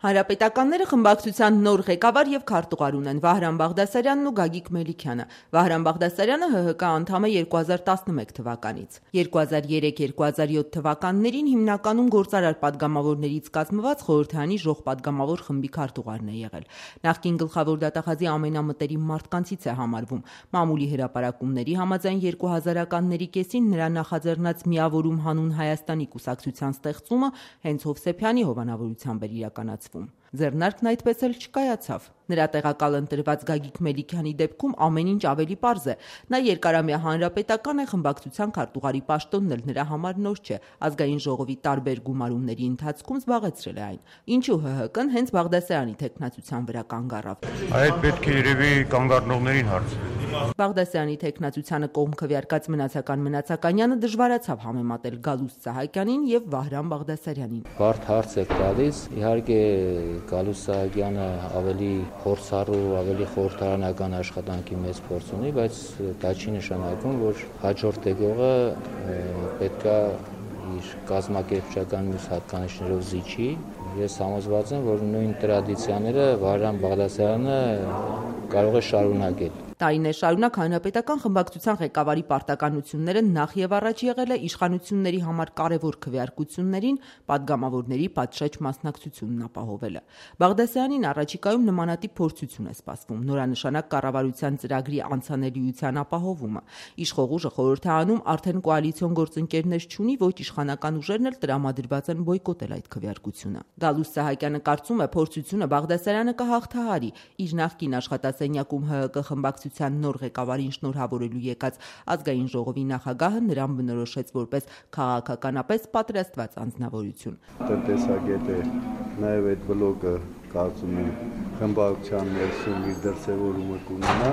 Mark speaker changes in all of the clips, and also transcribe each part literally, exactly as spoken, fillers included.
Speaker 1: Հանրապետականները խմբակցության նոր ղեկավար և քարտուղար ունեն Վահրամ Բաղդասարյանն ու Գագիկ Մելիքյանը։ Վահրամ Բաղդասարյանը Հ Հ Կա անդամ է երկու հազար տասնմեկ թվականից։ երկու հազար երեք երկու հազար յոթ թվականներին հիմնականում գործարար պատգամավորներից կազմված Խորհրդարանի ժողպատգամավոր խմբի քարտուղարն է եղել։ Նախկին գլխավոր դատախազի ամենամտերիմ մարդկանցից է համարվում։ Մամուլի հրապարակումների համաձայն երկու հազարականների կեսին նրա նախաձեռնած Միավորում հանուն Հայաստանի կուսակցության ստեղծումը հենց Հովսեփյանի հովանավորությամբ էր իրականացվում։ Ձեռնարկն այդպես էլ չկայացավ։ Նրա տեղակալ ընտրված Գագիկ Մելիքյանի դեպքում ամեն ինչ ավելի պարզ է։ Նա երկարամյա հանրապետական է, խմբակցության քարտուղարի պաշտոնն էլ նրա համար նոր չէ։ Ազգային ժողովի տարբեր գումարումների ընթացքում զբաղեցրել է այն։ Ինչու Հ Հ Կն հենց Բաղդասարյանի թեկնածության վրա կանգ առավ։
Speaker 2: Այդ պետք է երևի կանգ առնողներին հարցնել։
Speaker 1: Բաղդասարյանի թեկնածությանը կողմ քվեարկած Մնացական Մնացականյանը դժվարացավ համեմատել Գալուստ Սահակյանին եւ Վահրամ Բաղդասարյանին։
Speaker 3: Բարդ հարց է տալիս, իհարկե Գալուստ Սահակյանը ավելի փորձառու, ավելի խորհրդարանական աշխատանքի մեծ փորձ ունի, բայց դա չի նշանակում, որ հաջորդ եկողը պետքա իր կազմակերպչական մյուս հատկանիշներով զիջի։ Ես համոզված եմ, որ նույն տրադիցիաները Վահրամ Բաղդասարյանը կարող է շարունակել։
Speaker 1: Տարիներ շարունակ հանրապետական խմբակցության ղեկավարի պարտականությունները նախ եւ առաջ եղել է իշխանությունների համար կարևոր քվեարկություններին պատգամավորների պատշաճ մասնակցությունն ապահովելը։ Բաղդասարյանին առաջիկայում նմանատիպ փորձություն է սպասվում՝ նորանշանակ կառավարության ծրագրի անցանելիության ապահովումը։ Իշխող ուժը խորհրդարանում արդեն կոալիցիոն գործընկերներ չունի, ոչ իշխանական ուժերն էլ տրամադրված են բոյկոտել այդ քվեարկությունը։ Գալուստ Սահակյանը կարծում է, փորձությունը Բաղդասարյանը կհաղթահարի։ Իր նախկին աշխատասենյակում Հ Հ Կը խմբակցության նոր ղեկավարին շնորհավորելու եկած ազգային ժողովի նախագահը նրան բնորոշեց որպես քաղաքականապես պատրաստված անձնավորություն։
Speaker 4: Տնտեսագետ է, նաև այդ բլոկը կարծում եմ խմբակցության ներսում իր դրսևորումը կունենա։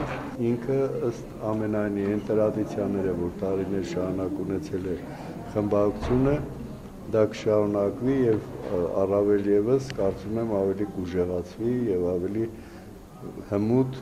Speaker 4: Ինքը ըստ ամենայնի այն տրադիցիաները, որ տարիներ շարունակ ունեցել է խմբակցությունը, դա կշարունակվի եւ առավել եւս կարծում եմ ավելի կուժեղացվի եւ ավելի հմուտ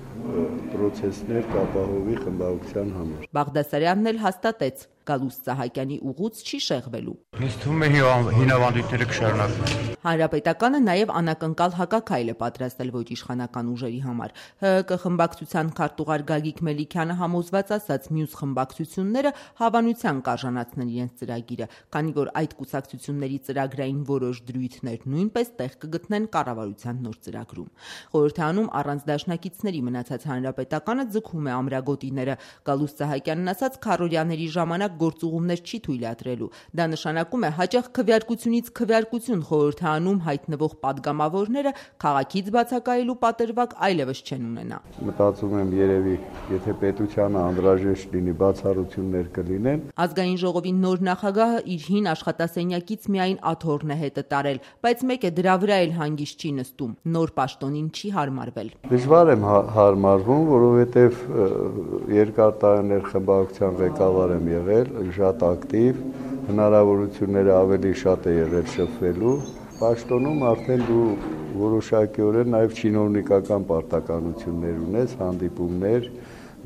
Speaker 4: պրոցեսներ կապահովի խմբակցության համար։
Speaker 1: Բաղդասարյանն էլ հաստատեց, Գալուստ Սահակյանի ուղուց չի շեղվելու։
Speaker 2: Ինձ թվում է հինավանդույթները կշարունակվեն։
Speaker 1: Հանրապետականը նաև անակնկալ հակաքայլ է պատրաստել ոչ իշխանական ուժերի համար։ Հ Հ Կը խմբակցության քարտուղար Գագիկ Մելիքյանը համոզված ասաց, մյուս խմբակցությունները հավանության կարժանացնեն իրենց ծրագիրը, քանի որ այդ կուսակցությունների ծրագրային որոշ դրույթներ նույնպես տեղ կգտնեն կառավարության նոր ծրագրում։ Խորհրդարանում առանց դաշնակիցների մնացած հանրապետականը ձգում է ամրագոտիները։ Գալուստ Սահակյանն ասաց, քառօրյաների ժամանակ գործուղումներ չի թույլատրելու։ Դա նշանակում է հաճախ քվեարկությունից քվեարկություն խորհրդարանում հայտնվող պատգամավորները քաղաքից բացակայելու պատրվակ այլևս չեն ունենա։
Speaker 4: Մտածում եմ երևի, եթե պետությանը անհրաժեշտ լինի, բացառություններ կլինեն։
Speaker 1: Ազգային ժողովի նոր նախագահը իր հին աշխատասենյակից միայն աթոռն է հետը տարել, բայց մեկ է դրա վրա էլ հանգիստ չի նստում։ Նոր պաշտոնին չի հարմարվել։
Speaker 4: Դժվար եմ հարմարվում, որովհետև երկար տարիներ խմբակցության ղեկավար եմ եղել, շատ ակտիվ, հնարավորությունները ավելի շատ է եղել շփվելու։ Պաշտոնում արդեն դու որոշակիորեն նաև չինովնիկական պարտականություններ ունես, հանդիպումներ,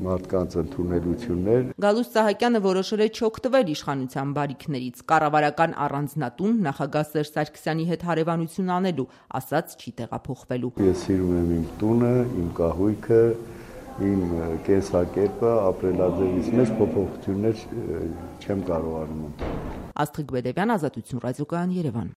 Speaker 4: մարդկանց ընդունելություններ։
Speaker 1: Գալուստ Սահակյանը որոշել է չօգտվել իշխանության բարիքներից, կառավարական առանձնատուն նախագահ Սերժ Սարգսյանի հետ հարևանություն անելու, ասաց չի տեղափոխվելու։
Speaker 4: Ես սիրում եմ իմ տունը, իմ կահույքը, իմ կենսակերպը, ապրելաձևից մեջ փոփոխություններ չեմ կարող անել։
Speaker 1: Աստղիկ Բեդևյան, Ազատություն ռադիոկայան, Երևան։